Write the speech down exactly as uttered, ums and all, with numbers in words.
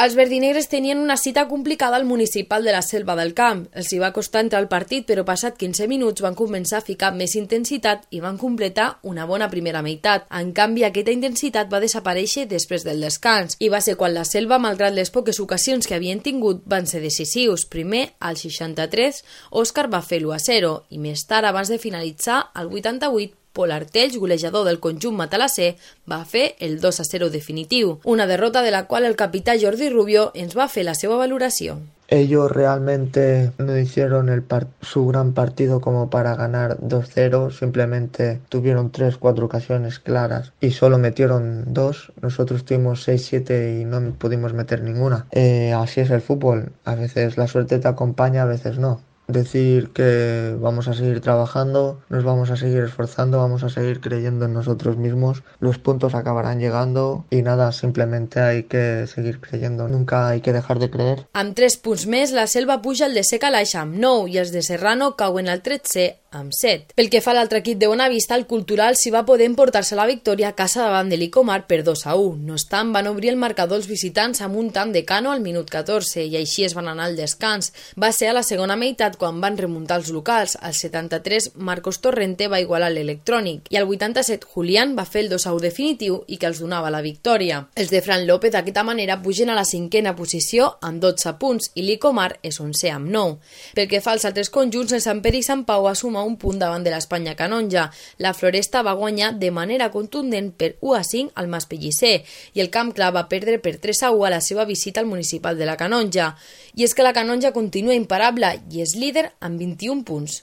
Els verdinegres tenien una cita complicada al municipal de la Selva del Camp. Els hi va costar entrar al partit, però passat quinze minuts van començar a ficar més intensitat i van completar una bona primera meitat. En canvi, aquesta intensitat va desaparèixer després del descans i va ser quan la Selva, malgrat les poques ocasions que havien tingut, van ser decisius. Primer, al seixanta-tres, Òscar va fer l'u a zero i més tard, abans de finalitzar, al vuitanta-vuit, Pol Artells, golejador del conjunt matalasser, va fer el dos a zero definitiu, una derrota de la qual el capità Jordi Rubio ens va fer la seva valoració. Ellos realmente no hicieron el su gran partido como para ganar dos cero, simplemente tuvieron tres, cuatro ocasiones claras y solo metieron dos. Nosotros tuvimos seis, siete y no pudimos meter ninguna. Eh, así es el fútbol, a veces la suerte te acompaña, a veces no. Decir que vamos a seguir trabajando, nos vamos a seguir esforzando, vamos a seguir creyendo en nosotros mismos, los puntos acabarán llegando y nada, simplemente hay que seguir creyendo, nunca hay que dejar de creer. Amb tres punts més, la Selva puja al desè calaix amb nou i els de Serrano cauen al tretzè amb set. Pel que fa a l'altre equip de Bonavista, el Cultural s'hi va poder emportar-se la victòria a casa davant de l'Icomar per dos a u. No obstant, van obrir el marcador els visitants amb un tant de Cano al minut catorze i així es van anar al descans. Va ser a la segona meitat quan van remuntar els locals. Al setanta-tres, Marcos Torrente va igualar l'Electrònic i al vuitanta-set, Julián va fer el dos a u definitiu i que els donava la victòria. Els de Fran López d'aquesta manera pugen a la cinquena posició amb dotze punts i l'Icomar és onzè amb nou. Pel que fa als altres conjunts, el Sant Pere i Sant Pau va sumar un punt davant de l'Espanya Canonja. La Floresta va guanyar de manera contundent per u a cinc al Mas Pellicer i el Camp Clar va perdre per tres a u a la seva visita al municipal de la Canonja. I és que la Canonja continua imparable i és líder amb vint-i-un punts.